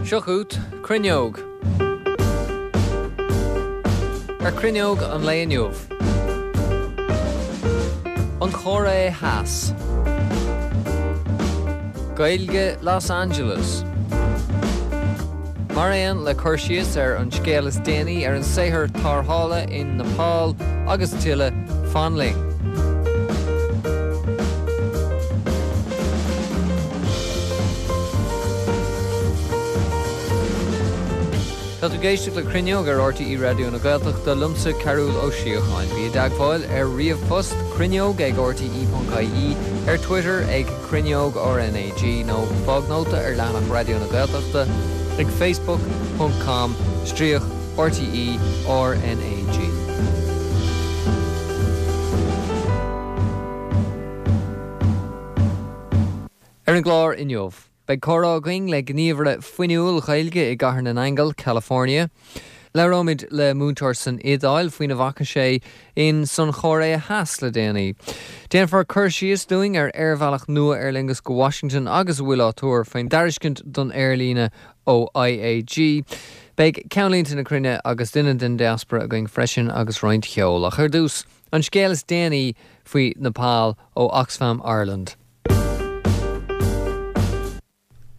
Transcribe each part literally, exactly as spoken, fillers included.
Seo chugat Cruinneog. Ar Cruinneog an lae inniu. An Chóiré Theas. Gaeilge Los Angeles. Mar aon le cur síos ar an scéal is déanaí ar an saothar tarrthála in Nepal agus tuilleadh fan linn. Tá tú ag éisteacht le Cruinneog ar RTÉ Raidió na Gaeltachta liomsa Cearúl Ó Síocháin. Bí i dteagmháil ar ríomhphost cruinneog ag rte.ie, ar Twitter ag cruinneog RnaG nó fág nóta ar leathanach Raidió na Gaeltachta ag facebook.com stríoc RTE RnaG. Ar an gclár inniu. Beidh comhrá againn le gníomhaire fuinniúil Gaeilge i gCathair na nAingeal, California. Labhróimid le múinteoir san Iodáil faoina bhfaca sé in san Chóiré Theas le déanaí. Déanfar cur síos dúinn ar aerbhealach nua Aer Lingus go Washington agus a bhfuil á tuar faoin dtairiscint don aerlíne ó IAG. Beidh ceannlínte na cruinne agus duine den diaspora againn freisin agus roinnt cheoil. Ach ar dtús, an scéal is déanaí faoi Nepal ó Oxfam Ireland.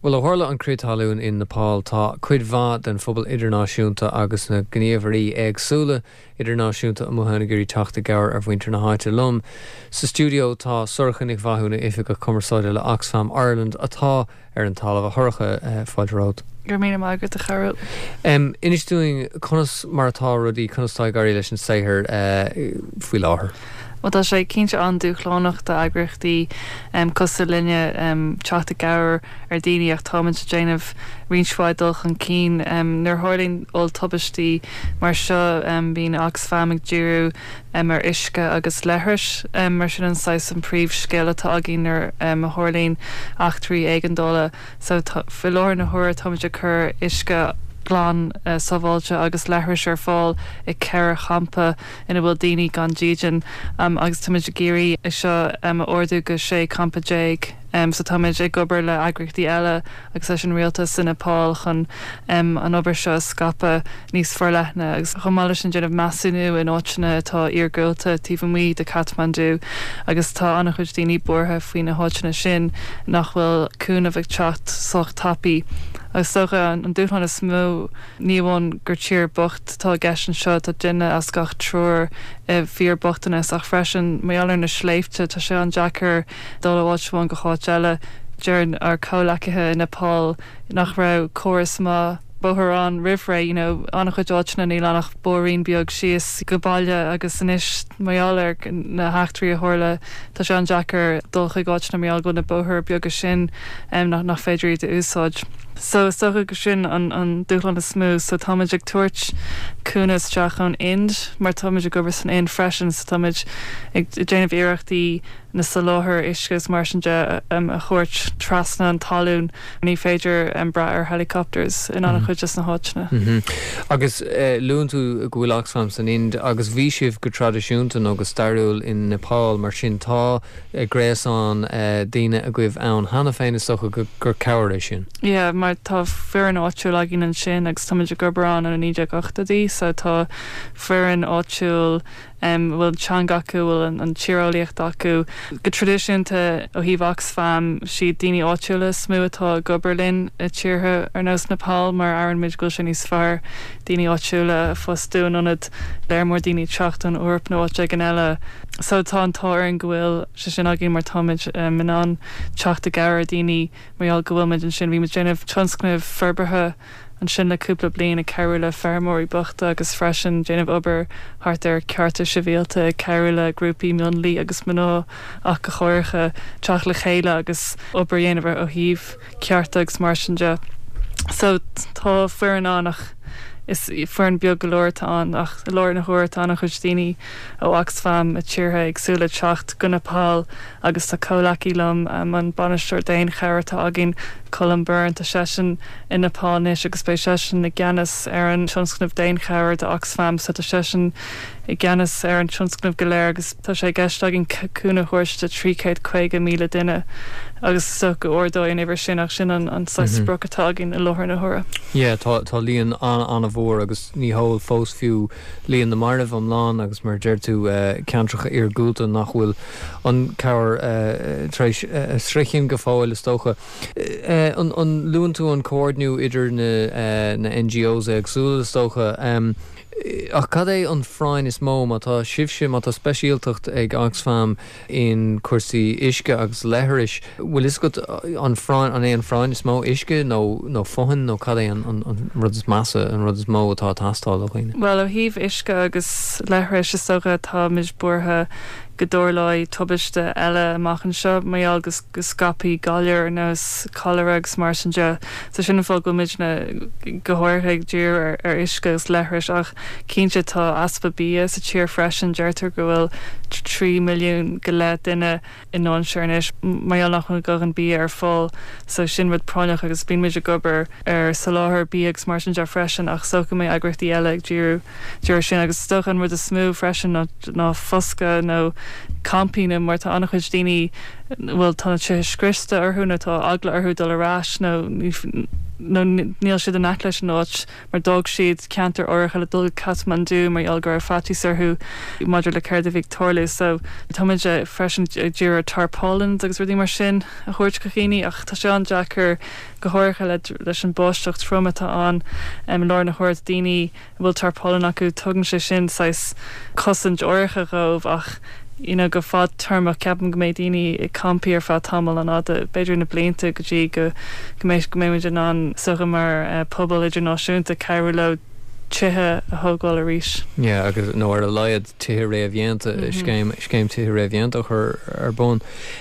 Well ó tharla an crith talún in Nepal tá cuid mhaith den phobal idirnáisiúnta agus na gníomhairí éagsúla idirnáisiúnta amuigh ann ag iarraidh teacht i gcabhair ar mhuintir na háite liom. Sa stiúideo tá Sorcha Nic Mhathúna Oifigeach Cumarsáide le Oxfam Ireland atá ar an talamh a Shorcha uh, fáilte romhat. Gur mí agat a Chearúil. Um, Inis dúinn conas mar atá rudaí conas tá ag éirí leis an saothar uh, faoi láthair. Well tá sé cinnte an-dúshlánach d'eagraíochtaí um, cosúil linne um, teacht i gcabhair ar daoine ach táimid ag déanamh roinnt mhaith dul chun cinn um, nuair a tharlaíonn olltubaistí mar seo um, bíonn Oxfam ag díriú um, ar uisce agus leithris um, mar sin an saghas an príomhscéal atá againn nuair um, a tharlaíonn eachtraí éigeandála so faoi láthair na huaire táimid ag cur uisce glan uh, sábháilte agus leithris ar fáil i ceithre champa ina bhfuil daoine gan dídean um, agus táimid ag iarraidh é seo um, ardú go sé campa déag. Um, so táimid ag obair le eagraíochtaí eile agus leis an rialtas in Nepal chun um, an obair seo scaipeadh níos forleithne agus chomh maith leis an déanamh measúnú in áiteanna atá iargúlta taobh amuigh de Kathmandu agus tá an-chuid daoine buartha faoi na háiteanna sin nach bhfuil cúnamh ag teacht sách tapaidh. Agus dócha an dúshlán is mó ní amháin gur tír bocht tá i gceist anseo tá duine as gach triúr fíorbhochtanas ach freisin mar gheall ar na sléibhte tá sé an-deacair dul ó áit amháin go háit eile. Deir ár comhghleacaithe i Nepal nach raibh córas maith bóthar ann roimh ré you know, an-chuid áiteanna níl ann ach bóithrín beag síos go baile agus anois mar gheall ar na heachtraí a tharla tá sé an-deacair dul chuig áiteanna mar gheall go na bóithre beaga sin um, nach, nach féidir iad a úsáid. So is dócha go sin an, an dúshlán is mó, so táimid ag tabhairt cúnamh isteach ón Ind mar táimid ag obair san Ind freisin, so táimid ag déanamh iarrachtaí na soláthar uisce is mar sin de um, a thabhairt trasna an talún ní féidir um, brath ar helicopters in an-chuid des na háiteanna. Mm -hmm. Agus uh, luann tú go bhfuil Oxfam san Ind agus bhí sibh go traidisiúnta nó go stairiúil in Nepal mar sin tá uh, gréasán uh, daoine agaibh ann cheana féin is dócha gur cabhair é sin. Yeah, mar tá foireann áitiúil againn ansin agus táimid ag obair ann ó naoi déag ochtóidí, so tá foireann áitiúil um, bhfuil teanga acu bhfuil an, an tíreolaíocht acu. Go traidisiúnta ó thaobh Oxfam siad daoine áitiúla is mó atá ag obair linn i tíortha ar nós Nepal mar airíonn muid go bhfuil sé níos fearr daoine áitiúla a fhostú in ionad léar mór daoine teacht ón Eoraip nó áit éigin eile. So tá an t-ádh orainn go bhfuil sé sin againn mar táimid um, in ann teacht i gcabhair daoine mar gheall go bhfuil muid ansin bhí muid déanamh tionscnamh forbartha ansin le cúpla bliain ag cabhrú le feirmeoirí bochta agus freisin déanamh obair thart ar cearta sibhialta ag cabhrú le grúpaí mionlaigh agus mná ach go háirithe teacht le chéile agus obair dhéanamh ó thaobh cearta agus mar sin de. So tá foireann ann ach is foireann beag go leor atá ann ach i láthair na huaire tá an-chuid daoine ó Oxfam i tíortha éagsúla teacht go Nepal agus tá comhghleacaí liom um, an bainisteoir daonchabhair atá againn Colm Byrne tá seisean i Nepal anois agus beidh seisean i gceannas ar an tionscnamh daonchabhair do Oxfam so tá seisean i gceannas ar an tionscnamh go léir agus tá sé i gceist againn cúnamh a thabhairt do trí chéad caoga míle duine agus is dócha go ardóidh an uimhir sin ach sin an an saghas sprioc atá againn i láthair na huaire. Yeah, tá tá líon an-an-mhór agus ní heol fós fiú líon na marbh iomlán agus mar a deir tú ceantracha iargúlta nach bhfuil an cabhair tar éis sroichint go fóill is dócha. An an luann tú an comhordnú idir na na NGOs éagsúla is dócha. Ach cad é an phráinn is mó má tá sibhse, má tá speisialtacht ag Oxfam in cúrsaí uisce agus leithris, bhfuil fhios agat an phráinn, an é an phráinn is mó uisce nó nó fothain nó cad é an an rud is measa, an rud is mó atá ag teastáil ó dhaoine? Bhuel, ó thaobh uisce agus leithris is dócha táimid buartha go dtarlóidh tubaiste eile amach anseo mar gheall go go scaipfidh galair ar nós cholera agus mar sin de. So sin an fáth go bhfuil muidne go háirithe ag díriú ar ar uisce agus leithris ach cinnte tá easpa bia sa tír freisin, deirtear go bhfuil trí milliún go leith duine i ndainséar anois mar gheall nach bhfuil a ndóthain bia ar fáil so sin rud práinneach agus bíonn muid ag obair ar soláthar bia agus mar sin de freisin ach is dócha go mbeidh eagraíochtaí eile ag díriú díriú ar sin agus is dócha an rud is mó freisin ná ná foscadh nó campaí nó mar tá an-chuid daoine bhfuil tá na tithe scriosta orthu nó tá eagla orthu dul ar ais nó nó níl siad in aice leis an áit mar d'fhág siad ceantar áirithe le dul go Kathmandu mar gheall go raibh faitíos orthu maidir le céard a bhí ag tarlú. So táimid freisin ag díriú ar tarpaulins agus rudaí mar sin a thabhairt go dhaoine ach tá sé an-deacair go háirithe le leis an báisteach trom atá ann i láthair na huaire daoine a bhfuil tarpaulin acu tugann sé sin saghas cosaint áirithe dhóibh ach you know go fadtéarmach ceapaim go mbeidh daoine i campaí ar feadh tamall an-fhada b'fhéidir na blianta go dtí go go mbeidh go mbeidh muid in ann is dócha mar eh, pobal idirnáisiúnta cabhrú leo tithe a thógáil arís. Yeah, agus nó ar a laghad tithe réamhdhéanta, mm -hmm. scéim scéim tithe réamhdhéanta a chur ar bun.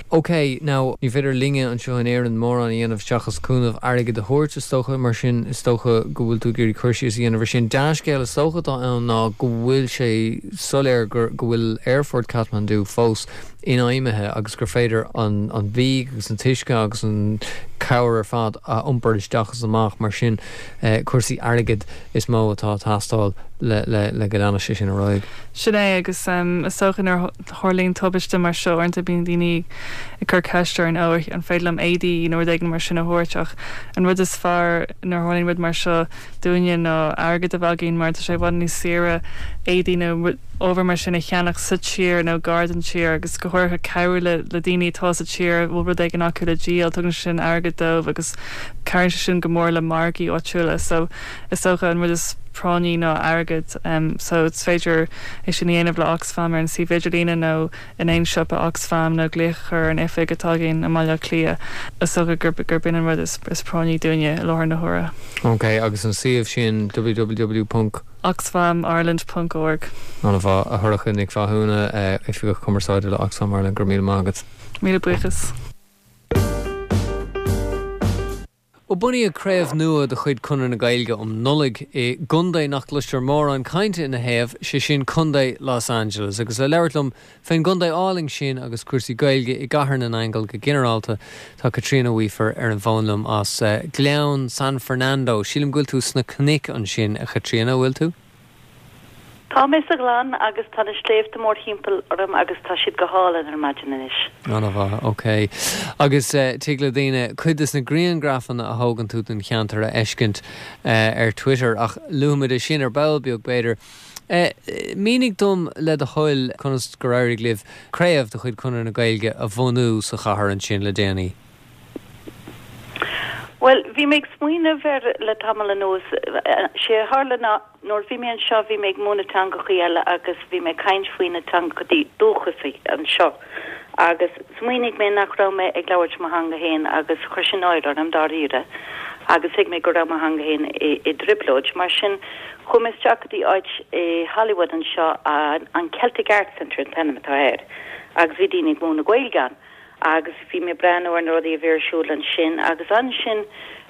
Ok, now ní féidir linne anseo in Éirinn mórán a dhéanamh seachas cúnamh airgid a thabhairt is dócha mar sin is dócha go bhfuil tú ag iarraidh cur síos a dhéanamh ar sin. Dea-scéal is dócha atá ann ná go bhfuil sé soiléir gur go bhfuil Aerfort Kathmandu fós infheidhmithe agus gur féidir an an bia agus an t-uisce agus an cabhair ar fad a iompar isteach is amach mar sin eh, cúrsaí airgid is mó atá ag teastáil le le le go leanfaidh sé sin ar aghaidh. Sin é agus um, is dócha nuair a tharlaíonn tubaiste mar seo uaireanta bíonn daoine ag cur ceist orainn ó an féidir liom éadaí nó rud éigin mar sin a thabhairt ach an rud is fearr nuair a tharlaíonn rud mar seo dúinne ná airgead a bheith againn mar tá sé i bhfad níos saoire éadaí nó ábhar mar sin a cheannach sa tír nó gar don tír agus go háirithe cabhrú le le daoine atá sa tír bhfuil rud éigin acu le díol tugann sin airgead dóibh agus cabhraíonn sé sin go mór le margaí áitiúla so is dócha an rud is práinní ná airgead um, so is féidir é sin a dhéanamh le Oxfam ar an suíomh idirlíne nó in aon siopa Oxfam nó glaoch a chur ar an oifig atá againn i mBaile Átha Cliath is dócha gurb gurb in an rud is, is práinní dúinne i láthair na huaire. Ok, agus an suíomh sin www. oxfamireland.org. An-mhaith a Shorcha Nic Mhathúna Oifigeach Cumarsáide le Oxfam Ireland go raibh míle maith agat. Míle buíochas. Ó bunaíodh craobh nua de chuid Chonradh na Gaeilge um Nollaig i gcontae nach gcloistear mórán cainte ina thaobh sé sin Contae Los Angeles agus le labhairt liom fén gcontae álainn sin agus cúrsaí Gaeilge i gCathair na nAingeal go ginearálta tá Caitríona Weafer ar an bhfón liom as uh, Gleann San Fernando. Sílim go bhfuil tú sna cnoic ansin a Chaitríona bhfuil tú? Tá mé sa ghleann agus tá na sléibhte mórthimpeall orm agus tá siad go hálainn ar maidin anois. An-mhaith, ok. Agus uh, tig le daoine cuid des na grianghrafanna a thógann tú den cheantar a fheiscint uh, ar Twitter ach luafaimid é sin ar ball beag b'fhéidir. Uh, Mínigh dom le do thoil conas gur éirigh libh craobh de chuid Chonradh na Gaeilge a bhunú sa chathair ansin le déanaí. Well, bhí mé ag smaoineamh air le tamall anuas sé a tharla ná nuair bhí mé anseo bhí mé ag múineadh teangachaí eile agus bhí mé ag caint faoi na teangachaí dúchasaí anseo. Agus smaoinigh mé nach raibh mé ag labhairt mo theanga féin agus chuir sin náire orm dáiríre. Agus thuig mé go raibh mo theanga féin i, i dtrioblóid. Mar sin chuaigh mé isteach go dtí áit i Hollywood anseo an Celtic Arts Centre an t-ainm atá air. Agus bhí daoine ag múineadh Gaeilge ann. agus bhí mé ag breathnú ar na rudaí a bhí ar siúl ansin agus ansin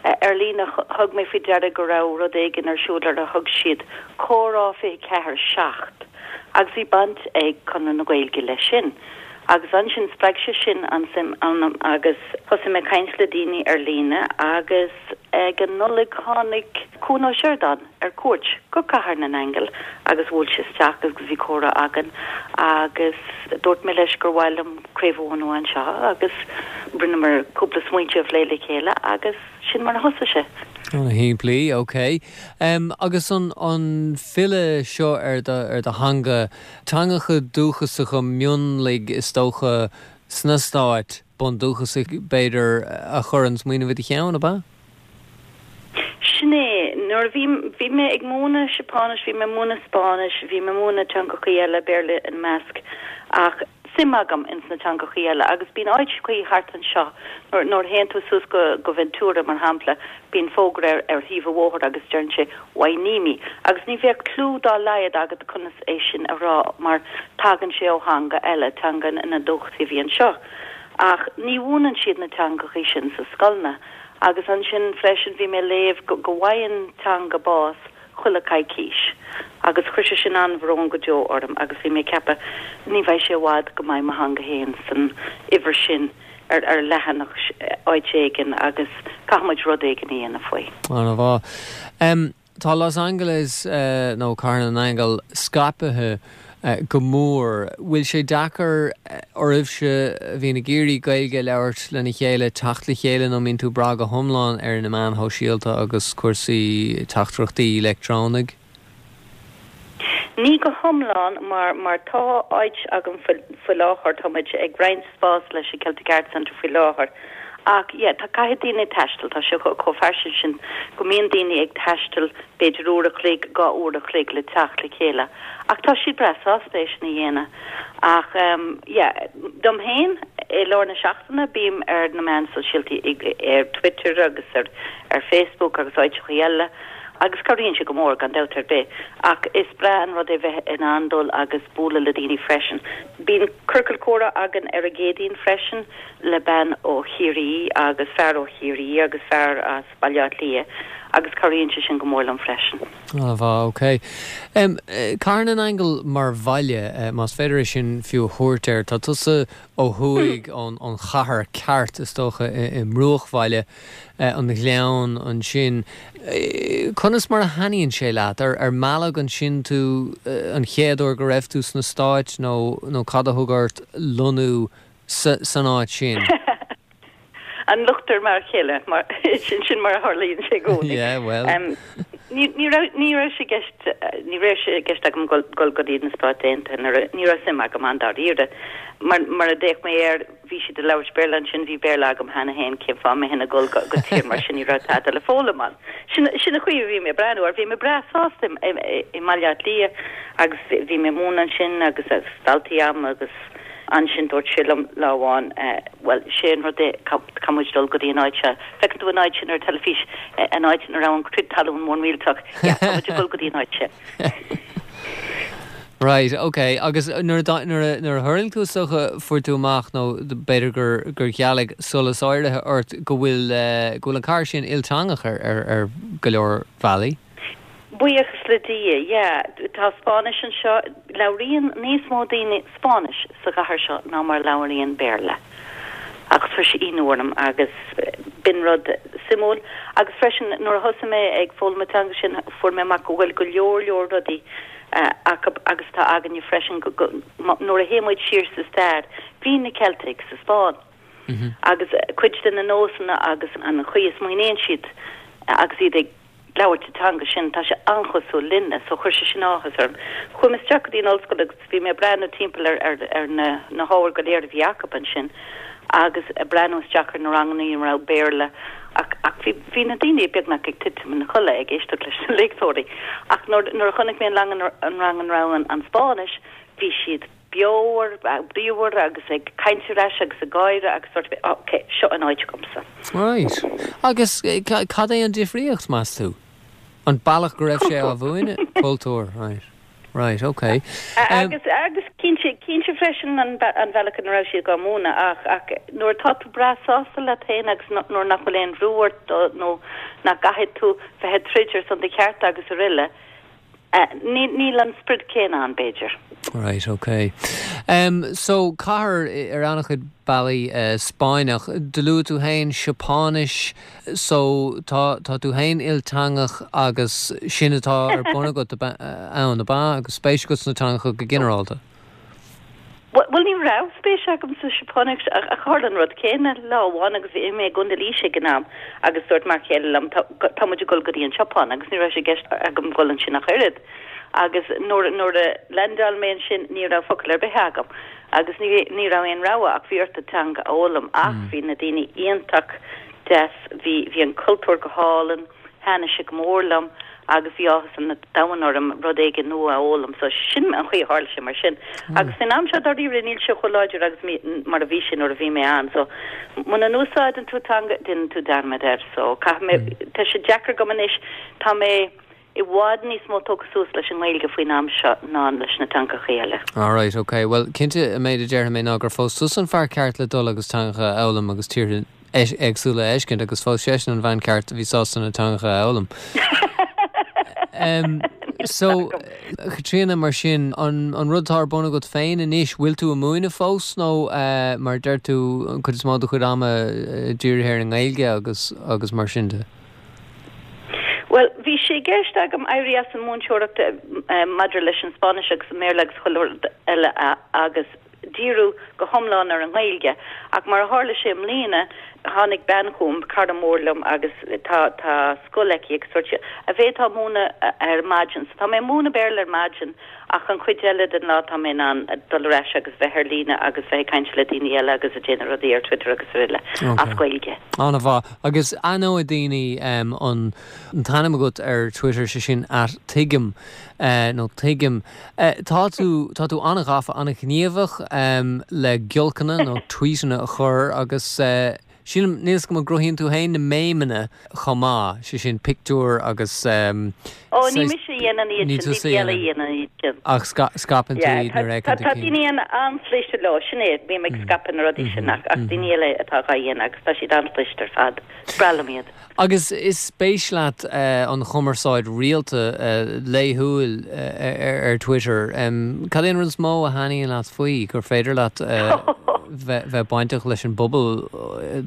ar líne thug mé faoi deara go raibh rud éigin ar siúl ar a thug siad Comhrá fiche ceathair seacht agus bhí baint ag Conradh na Gaeilge leis sin. Agus ansin spreag sé sin an suim ionam agus thosaigh mé caint le daoine ar líne agus Ag an Nollaig tháinig Cuan Ó Seireadáin ar cuairt go Cathair na nAingeal agus bhuail sé isteach agus bhí comhrá againn agus dúirt mé leis gur mhaith liom craobh a bhunú anseo agus rinneamar cúpla smaointe a phlé le chéile agus sin mar a thosaigh sé. Ana-shimplí, ok. Um, agus an, an filleadh seo ar do, ar do theanga, teangacha dúchasacha mionlaigh is dócha sna Stáit bundúchasaigh b'fhéidir a chuir an smaoineamh i do cheann, ab ea? Sin é, nuair a bhí, bhí mé ag múineadh Seapáinis, bhí mé ag múineadh Spáinnis, bhí mé ag múineadh teangachaí eile, Béarla ina measc, ach suim agam ins na teangachaí eile agus bíonn áiteachaí thart anseo, nuair, nuair a théann tú suas go, go Ventura mar shampla, bíonn fógra ar, ar thaobh an bhóthair agus deireann sé Hueneme agus ní bheadh clue dá laghad agat conas é sin a rá mar tagann sé ó theanga eile, teanga na ndúchasaigh a bhí anseo. Ach ní mhúineann siad na teangachaí sin sa scoileanna. Agus ansin freisin bhí mé ag léamh go bhfaigheann teanga bás chuile coicís agus chuir sé sin an-bhrón go deo orm agus bhí mé ag ceapadh ní bheidh sé i bhfad go mbeidh mo theanga féin san uimhir sin ar ar leathanach áit éigin agus caithfidh muid rud éigin a dhéanamh faoi. Ana-mhaith. Tá Los Angeles nó Cathair na nAingeal scaipthe go mór. Bhfuil sé deacair oraibhse a bhíonn ag iarraidh Gaeilge a labhairt lena chéile teacht le chéile nó mbíonn tú ag brath go hiomlán ar na meáin shóisialta agus cúrsaí teachtaireachtaí leictreonaigh? Ní go hiomlán mar mar tá áit agam faoi láthair, tá muid ag roinnt spás leis an Celtic Arts Centre faoi láthair Ach yeah, tá caithfidh daoine taisteal, tá sé chomh fairsing sin go mbíonn daoine ag taisteal b'fhéidir uair a chloig, dhá uair a chloig le teacht le chéile. Ach tá siad breá sásta é sin a dhéanamh. Ach um, yeah, dom féin i lár na seachtaine bím ar na meáin sóisialta ar Twitter agus ar, ar Facebook agus áiteachaí eile. Agus cabhraíonn sé go mór gan dabht ar bith, ach is breá an rud é bheith in ann dul agus bualadh le daoine freisin. Bíonn ciorcal comhrá againn ar an gCéadaoin freisin le bean ó Chiarraí agus fear ó Chiarraí agus fear as Baile Átha Cliath agus cabhraíonn sé sin go mór liom freisin. Ana-mhaith, ok. Um, Cathair na nAingeal mar bhaile, más féidir é sin fiú a thabhairt air, tá tusa ó thuaidh ón ón chathair ceart is dócha i mbruachbhaile an Ghleann ansin. Conas mar a thaitníonn sé leat? Ar ar mealladh ansin tú an chéad uair go raibh tú sna Stáit nó nó cad a thug ort lonnú san áit sin? An locht ar m'fhear céile mar sin sin mar a tharlaíonn sé i gcónaí. Yeah, well. Um, ní ní raibh ní raibh sé i gceist ní raibh sé i gceist agam dul dul go dtí na Stáit Aontaithe ní raibh suim agam ann dáiríre. Mar mar a d'fhéach mé air bhí siad ag labhairt Béarla ansin bhí Béarla agam cheana féin cén fáth a mbeinn ag dul go go tír mar sin ní raibh tada le foghlaim ann. Sin sin an chaoi a bhí mé ag breathnú air bhí mé breá sásta i i mBaile Átha Cliath agus bhí mé ag múineadh ansin agus agus daltaí agam agus ansin dúirt sé liom lá amháin bhuel sé an rud é caithfidh muid dul go dtí an áit seo. Feiceann tú an áit sin ar teilifís an áit ina raibh an crith talún mór millteach yeah, tá muid ag dul go dtí an áit sin. Right, ok. Agus nuair a nuair a nuair a tharraing tú is dócha fuair tú amach nó b'fhéidir gur gur ghealaigh solas áirithe ort go bhfuil go bhfuil an chathair sin ilteangach ar ar ar go leor bealaí. Buíochas le Dia, yeah. Tá Spáinnis anseo, labhraíonn níos mó daoine Spáinnis sa chathair seo ná mar labhraíonn Béarla. Agus chuir sé ionadh orm agus b'in rud suimiúil agus freisin nuair a thosaigh mé ag foghlaim an teanga sin fuair mé amach go bhfuil go leor leor rudaí acu agus tá againne freisin go, go, nuair a théann muid siar sa stair, bhí na Ceiltigh sa Spáinn. Mm -hmm. Agus cuid de na nósanna agus an chaoi a smaoiníonn siad agus iad ag labhairt an teanga sin tá sé an-chosúil linne, so chuir sé sin áthas orm. Chuaigh mé isteach go dtí an ollscoil agus bhí mé ag breathnú timpeall ar ar ar na na hábhair go léir a bhí acu ansin agus ag breathnú isteach ar na ranganna a raibh Béarla ach ach bhí bhí na daoine beagnach ag titim ina chodladh ag éisteacht leis na léachtóirí. Ach nuair nuair a chonaic mé an lang an rang an raibh an, an Spáinnis, bhí siad beomhar, bríomhar agus ag caint ar ais agus ag gáire agus sort of, ok, seo an áit agamsa. Right. Agus cad é an difríocht meas tú? An bealach go raibh sé á mhúineadh? Cultúr, right. Right, ok. Agus agus cinnte cinnte freisin an an bealach ina raibh siad á múineadh ach ach nuair atá tú breá sásta leat féin agus nuair nach bhfuil aon bhrú ort nó nach gcaithfidh tú bheith ag troid ar son do chearta agus araile, Níl an sprid céanna ann, b'fhéidir. Right, ok. Um, so cathair ar an-chuid bealaí uh, Spáinneach, do luaigh tú féin Seapáinis, so tá tá tú féin ilteangach agus sin atá ar bun agat ann, ab ea, agus spéis agat sna teangacha go ginearálta. Bhuel ní raibh spéis agam sa Seapáinis ach tharla an rud céanna lá amháin agus bhí mé i gContae Laoise ag an am agus dúirt m'fhear céile liom tá muid ag dul go dtí an tSeapáin agus ní raibh sé i gceist agam dul ansin ach oiread. Agus nuair nuair a landáil mé ansin ní raibh focal ar bith agam agus ní ní raibh aon rogha ach bhí ort an teanga a fhoghlaim ach bhí na daoine iontach deas, bhí bhí an cultúr go hálainn, thaitnigh sé go mór liom agus bhí áthas an domhain orm rud éigin nua a fhoghlaim, so sin an chaoi a tharla sé mar sin. Agus san am seo dáiríre níl sé chomh láidir agus mar a bhí sé nuair a bhí mé ann, so muna n-úsáideann tú teanga déanann tú dearmad air, so caithfidh mé, tá sé deacair agam anois, tá mé i bhfad níos mó tógtha suas leis an nGaeilge faoin am seo ná leis na teangacha eile. Alright, ok. Well, cinnte an méid a déarfaidh mé ná gur phós tusa an fear ceart le dul agus teangacha a fhoghlaim agus tíortha éagsúla a fheiscint agus phós seisean an bhean ceart a bhí sásta na teangacha a fhoghlaim. Um, so Caitríona mar sin an, an rud atá ar bun agat féin anois, bhfuil tú ag múineadh fós nó uh, mar deir tú an chuid is mó do chuid ama uh, dírithe ar an nGaeilge agus agus mar sin de? Well, bhí sé i gceist agam éirí as an múinteoireacht uh, maidir leis an Spáinnis agus an Béarla agus chuile rud eile agus díriú go hiomlán ar an nGaeilge ach mar a tharla sé i mbliana tháinig bean chugam cara mór liom agus tá tá scoil aici agus dúirt sí an bhféadfá múineadh ar maidin so tá mé múineadh Béarla ar maidin ach an chuid eile den lá tá mé in ann dul ar ais agus bheith ar líne agus bheith ag caint le daoine eile agus ag déanamh rudaí ar Twitter agus araile as Gaeilge. An-mhaith agus aithneoidh daoine um, an an t-ainm agat ar Twitter sé sin at tuigim uh, nó tuigim. Uh, tá tú tá tú an-ghafa an-ghníomhach um, le giolcanna nó tweetanna a chur agus uh, Sílim níos go gcruthaíonn tú féin na méimeanna chomh maith, sé sin pictiúr agus um, Ó ní mise a dhéanann iad sin, daoine eile a dhéanann iad sin. Ach scaipeann tú iad nuair a fheiceann tú Tá daoine an-chliste leo sin é, bím ag scaipeadh na rudaí sin ach ach daoine eile atá á dhéanamh agus tá siad an-chliste ar fad. Is breá liom iad. Agus is spéis leat uh, an chumarsáid rialta uh, laethúil uh, ar, ar Twitter. Um, Cad é an rud is mó a thaitníonn leat faoi gur féidir leat uh, bheith bainteach leis an bpobal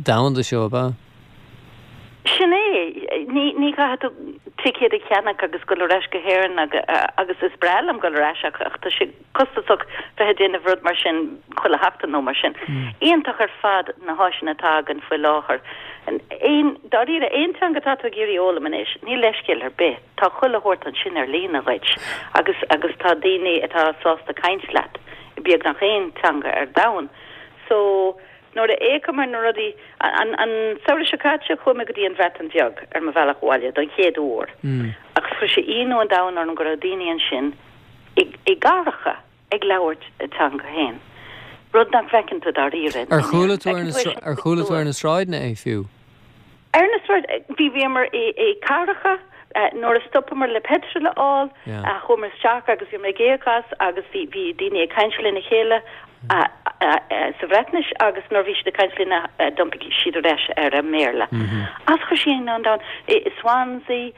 domhanda seo ab ea? Sin é ní ní caithfidh tú ticéad a cheannach agus dul ar ais go hÉirinn agus is breá liom dul ar ais ach tá sé costasach bheith ag déanamh rud mar sin chuile sheachtain nó mar sin. Iontach ar fad na háiseanna atá againn faoi láthair. Aon dáiríre aon teanga atá tú ag iarraidh fhoghlaim anois, níl leithscéal ar bith, tá chuile shórt ansin ar líne dhuit agus agus tá daoine atá sásta caint leat beagnach aon teanga ar domhan. So nuair a fhéachaim ar na rudaí an an samhradh seo caite chuaigh mé go dtí an Bhreatain Bheag ar mo bhealach abhaile don chéad uair. Mm. Agus chuir sé ionadh an domhain orm go raibh daoine ansin i i gcathracha ag labhairt a dteanga féin. Rud nach bhfeiceann tú dáiríre. Ar chuala tú ar na ar chuala tú ar na sráideanna é fiú? Ar na sráid bhí bhíomar i i cathracha nuair a stopamar le petrol a fháil chuamar isteach agus bhí mé ag íoc as agus bhí bhí daoine ag caint lena chéile sa Bhreatnais agus nuair bhí siad ag caint linn d'iompaigh siad ar ais ar an mBéarla. Agus chuir sé ionadh an domhain i Swansea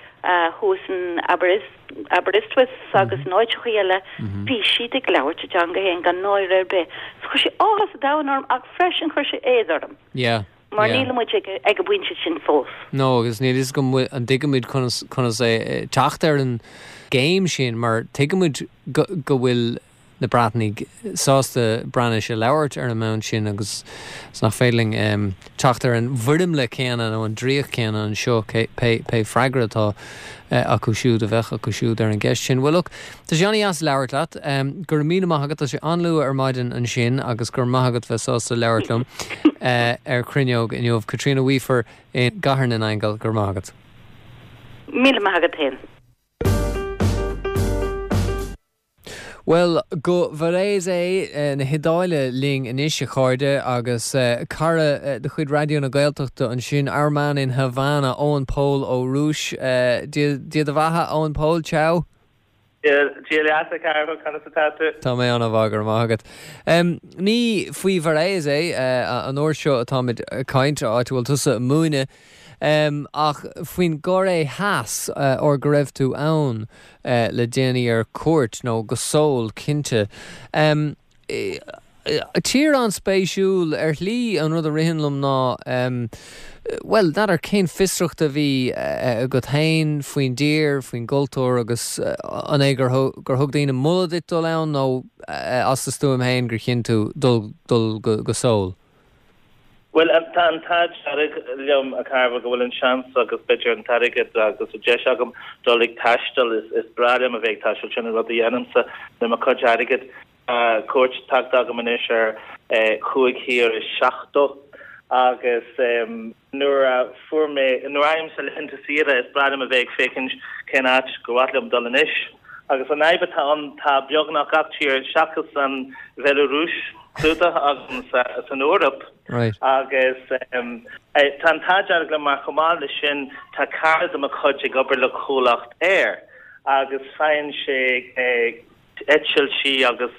thuas in Aberystwyth agus in áiteacha eile bhí siad ag labhairt a dteanga féin gan náire ar bith. So chuir sé áthas an domhain orm ach freisin chuir sé éad orm. Yeah. Mar níl muid ag ag an bpointe sin fós. No, agus níl fhios agam an dtuigimid conas conas é teacht ar an gcéim sin mar tuigimid go go bhfuil na Breatnaigh sásta Breatnais a labhairt ar an mbonn sin agus is nach féidir linn um, teacht ar an bhfoirmle céanna nó an dreach céanna anseo pé pé freagra atá uh, acu siúd a bheith acu siúd ar an gceist sin. Well look, tá sé an-deas labhairt leat, um, go raibh míle maith agat tá sé an-luath ar maidin ansin agus go raibh maith agat bheith sásta labhairt liom uh, ar Cruinneog inniu Caitríona Weafer i gCathair na nAingeal go raibh maith agat. Míle maith agat féin. Well, go Varese eh, na hIodáile linn anois a chairde agus uh, cara uh, de chuid Raidió na Gaeltachta ansin our man in Havana Eoin Pól Ó Rúis uh, Dia do bheatha Eoin Pól ciao? Dia leat a conas atá tú? Tá mé an-mhaith go raibh maith agat. Um, ní faoi Varese uh, an uair seo atáimid ag caint áit a bhfuil tusa ag múineadh. Ach faoin gCóiré Theas óir go raibh tú ann le déanaí ar cuairt nó go Seoul cinnte. Tír an-spéisiúil ar shlí an rud a ritheann liom ná bhuel, n'fheadar cén fiosracht a bhí agat féin faoin dtír, faoin gcultúr agus an é gur gur thug daoine moladh duit dul ann nó as do stuaim féin gur chinn tú dul dul go Seoul? Bhuel, tá an t-ádh dearg liom, a Chearbhaill, go bhfuil an seans agus b'fhéidir an t-airgead agus an deis agam dul ag taisteal. Is breá liom a bheith ag taisteal, sin an rud a dhéanaimse le mo chuid airgid. Tá cuairt tagtha agam anois ar chúig thír is seachtó agus nuair a fuair mé, nuair a fhaighimse laethanta saoire, is breá liom a bheith ag féachaint cén áit gur mhaith liom dul anois. Agus an fhadhb atá ann, tá beagnach gach tír seachas an Bhealarúis clúdaithe agam san Eoraip. Agus tá an t-ádh dearg liom mar chomh maith leis sin tá cara de mo chuid ag obair le comhlacht aeir agus faigheann sé eitiltí agus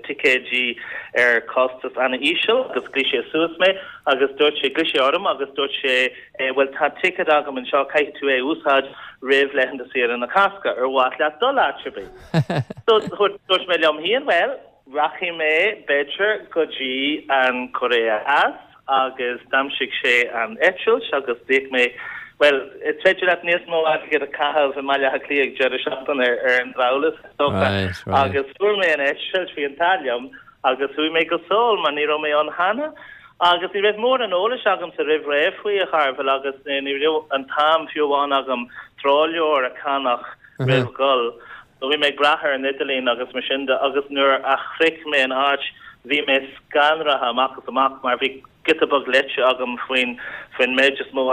ticéidí ar chostas an-íseal agus ghlaoigh sé suas mé agus dúirt sé, ghlaoigh sé orm agus dúirt sé bhuel tá ticéad agam anseo caithfidh tú é a úsáid roimh laethanta saoire na Cásca, ar mhaith leat dul áit ar bith? So dúirt mé liom féin bhuel Rachaidh mé, b'fhéidir, go dtí an Chóiré Theas agus d'aimsigh sé an eitilt agus d'íoc mé, bhuel, is féidir leat níos mó airgid a chaitheamh i mBaile Átha Cliath ag deireadh seachtaine ar an drabhlas, is dócha. Agus fuair mé an eitilt, bhí an t-ádh liom, agus chuaigh mé go Seoul mar ní raibh mé ann cheana. Agus ní raibh mórán eolais agamsa roimh ré faoi, a Chearbhaill, agus ní raibh an t-am fiú amháin agam treoirleabhar a cheannach roimh dhul. So bhí mé ag brath ar an idirlíon agus mar sin de agus nuair a shroich mé an áit bhí mé scanraithe amach is amach mar bhí giota beag léite agam faoin faoin méid is mó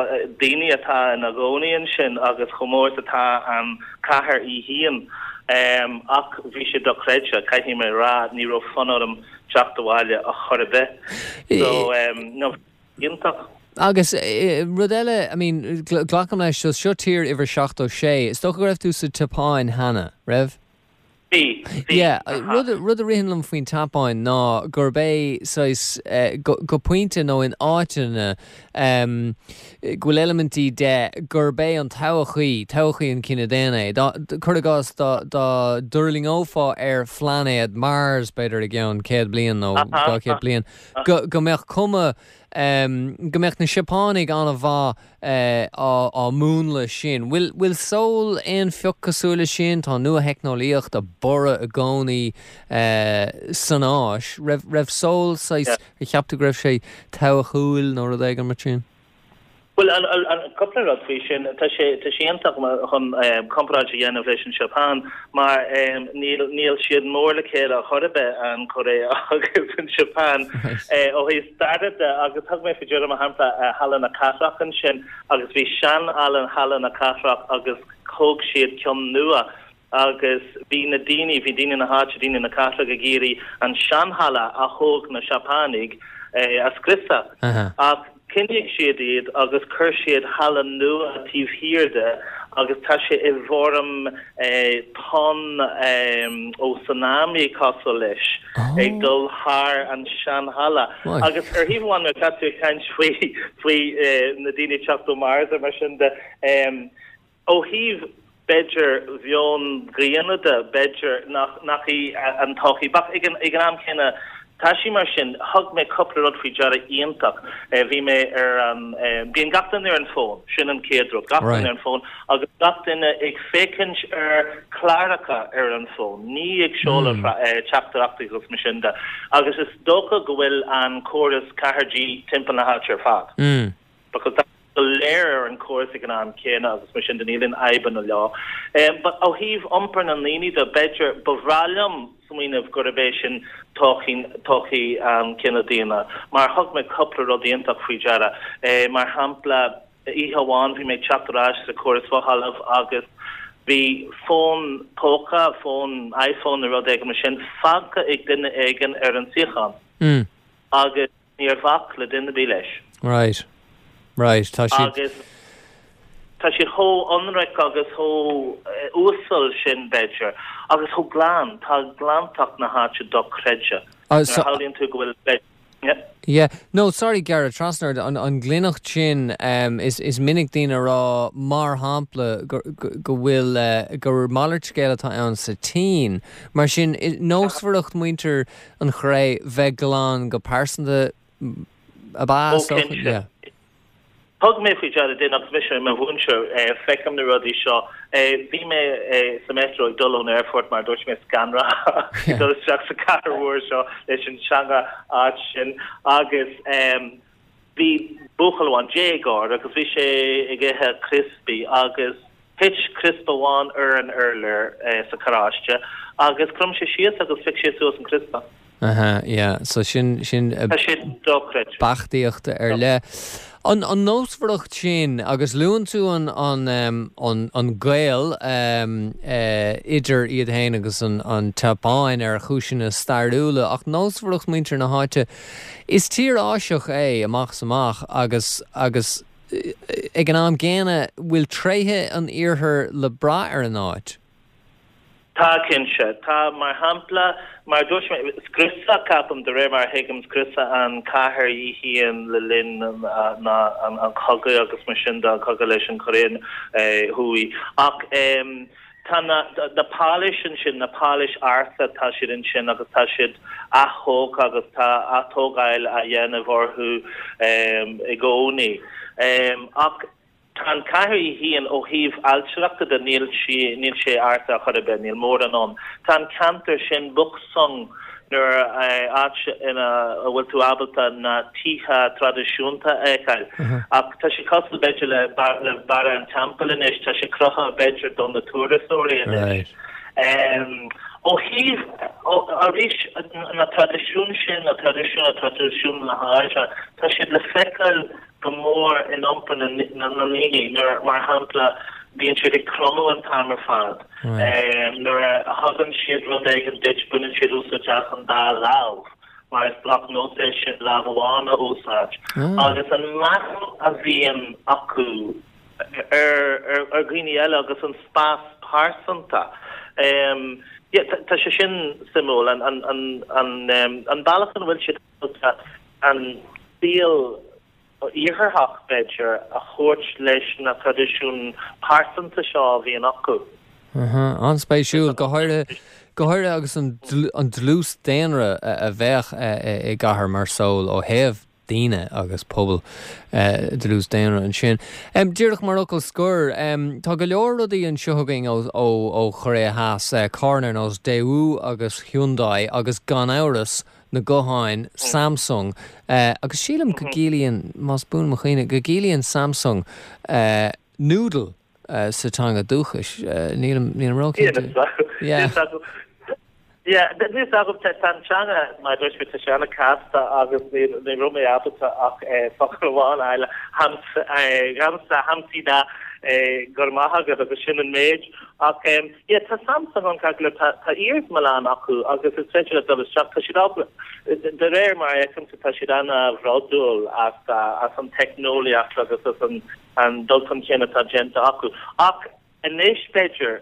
daoine atá ina gcónaí ansin agus chomh mór is atá an chathair í féin. Ach bhí sé dochreidte, caithfidh mé a rá, ní raibh fonn orm teacht abhaile ar chor ar bith. So no, iontach. Agus rud eile, I mean, glacaim leis, so seo tír uimhir seachtó sé, is dócha go raibh tú sa tSeapáin cheana, raibh? Bhí, bhí. Yeah, rud, rud a ritheann liom faoin tSeapáin ná gurb é saghas, go, go pointe nó in áiteanna, go bhfuil eilimintí de gurb é an todhchaí, todhchaí an chine daonna é. Dá, cuir i gcás, dá, dá dtuirlingeofá ar phláinéad Mars, b'fhéidir i gceann céad bliain nó dhá chéad bliain, go, go mbeadh cuma, go mbeadh na Seapánaigh an-mhaith á múnlú sin. Bhfuil bhfuil Seoul aon phioc cosúil leis sin? Tá nua-theicneolaíocht ag borradh i gcónaí san Áis. Raibh raibh Seoul saghas, ar cheap tú go raibh sé todhchaíúil nó rud éigin mar sin? Bhuel, an cúpla rud faoi sin, tá sé tá sé iontach chun comparáid a dhéanamh leis an Seapáin mar níl níl siad mór le chéile ar chor ar bith, an Chóiré agus an Seapáin ó thaobh staire de agus thug mé faoi deara mar shampla Halla na Cathrach ansin agus bhí sean-halla Halla na Cathrach agus thóg siad ceann nua agus bhí na daoine, bhí daoine na háite, daoine na cathrach ag iarraidh an sean-halla a thóg na Seapánaigh a scriosadh. Ach choinnigh siad iad agus chuir siad halla nua taobh thiar de agus tá sé i bhfoirm tonn ó tsunami cosúil leis ag dul thar an sean-halla. Agus ar thaobh amháin nuair atá tú ag caint faoi faoi na daoine ag teacht ó Mars ar mar sin de, Ó thaobh, b'fhéidir, mheon daonna de, b'fhéidir nach, nach í an todhchaí. Ach ag an, ag an am céanna, tá sí mar sin. Thug mé cúpla rud faoi deara iontach. Bhí mé ar an, bíonn gach duine ar an bhfón, sin an chéad rud, gach duine ar an bhfón agus gach duine ag féachaint ar chláracha ar an bhfón, ní ag seoladh teachtaireachtaí agus mar sin de. Agus is dócha go bhfuil an córas ceathair G timpeall na háite ar fad. Because tá go léir ar an chóras ag an am céanna agus mar sin de níl aon fhadhbanna leo. But ó thaobh iompar na ndaoine de, b'fhéidir, ba bhreá liom smaoineamh gurb é sin todhchaí, todhchaí an chine daonna. Mar thug mé cúpla rud iontach faoi deara. Mar shampla, oíche amháin bhí mé ag teacht ar ais sa chóras fothalamh agus bhí fón póca, fón iPhone nó rud éigin mar sin, fágtha ag duine éigin ar an suíochán. Agus Níor bhac le duine ar bith leis. Right. Right. Tá siad. Agus tá siad chomh ionraic agus chomh uasal sin, b'fhéidir, agus chomh glan. Tá glantacht na háite dochreidte. Nuair a shamhlaíonn tú go bhfuil, b'fhéidir, Yeah. Yeah. No, sorry gearradh trasna ort, an, an ghlaineacht sin um, is, is minic daoine a rá mar shampla go, go, go bhfuil uh, gur malairt scéal atá ann sa tSín. Mar sin nósmhaireacht muintir an Chóiré bheith glan go pearsanta ab ea? Oh, cinnte. Yeah. Thug mé faoi deara din agus mise i mo mhúinteoir feicim na rudaí seo. Bhí mé sa metro ag dul ón airport mar dúirt mé scanraithe ag dul isteach sa chathair mhór seo leis an teanga ait sin agus bhí buachaill amháin déagóir agus bhí sé ag ithe criospaí agus thit criospa amháin ar an urlár sa charráiste agus chrom sé síos agus phioc sé suas an criospa. Aha, yeah. So sin sin Tá sé dochreidte. Beachtaíocht ar leith. An an nósmhaireacht sin agus luann tú an an um, an an gaol um, uh, idir iad féin agus an an tSeapáin ar chúiseanna stairiúla ach nósmhaireacht muintir na háite is tír Áiseach é amach is amach agus agus eh, ag an am gcéanna bhfuil tréithe an iarthair le brath ar an áit. Tá cinnte, tá mar shampla mar dúirt mé scriosadh ceapaim de réir mar a thuigim scriosadh an cathair í féin le linn na an an cogadh agus mar sin de an cogadh leis an Chóiré Thuaidh ach tá na na páláis ansin na páláis ársa tá siad ansin agus tá siad athógtha agus tá atógáil á dhéanamh orthu i gcónaí ach Tá an cathair í féin ó thaobh ailtireachta de níl sí níl sé ársa ar chor ar bith, níl mórán ann. Tá an ceantar sin Bukchon nuair áit ina a bhfuil tú ábalta na tithe traidisiúnta a fheiceáil. Ach tá sé cosúil b'fhéidir le le Barra an Teampaill anois, tá sé cruthaithe b'fhéidir do na turasóirí anois. Ó thaobh arís na traidisiúin sin, na traidisiúin, traidisiúin na háite, tá siad le feiceáil go mór in iompar na ndaoine nuair, mar shampla, bíonn siad ag cromadh an t-am ar fad. Nuair a thugann siad rud éigin duit, baineann siad úsáid as an dá lámh, mar is drochnós é sin lámh amháin a úsáid. Agus an meas a bhíonn acu ar ar dhaoine eile agus an spás pearsanta, tá sé sin suimiúil, an bealach ina bhfuil siad ábalta an saol iartharach, b'fhéidir, a thabhairt leis na traidisiúin pearsanta seo a bhíonn acu. An-spéisiúil, go háirithe go háirithe agus an an dlús daonra a bheadh i gcathair mar Seoul ó thaobh daoine agus pobal dlús daonra ansin. Díreach mar fhocal scoir, tá go leor rudaí anseo againn ó ó ó Chóiré Theas, carranna ar nós Daewoo agus Hyundai agus gan amhras na gutháin Samsung agus sílim go gciallaíonn, más buan mo chuimhne, go gciallaíonn Samsung noodle sa teanga dúchais. Nílim nílim róchinnte. Yeah. Yeah, níl a fhios agam tá an teanga mar a dúirt mé tá sé an-chasta agus ní ní raibh mé ábalta ach focal amháin a fháil hamsa hamsida go raibh maith agat agus sin an méid ach yeah tá Samsung an ceart go leor tá tá iarsmalann acu agus is féidir leat dul isteach tá siad ábalta de réir mar a fheicimse tá siad an-bhródúil as as an teicneolaíocht agus as an an dul chun cinn atá déanta acu ach anois b'fhéidir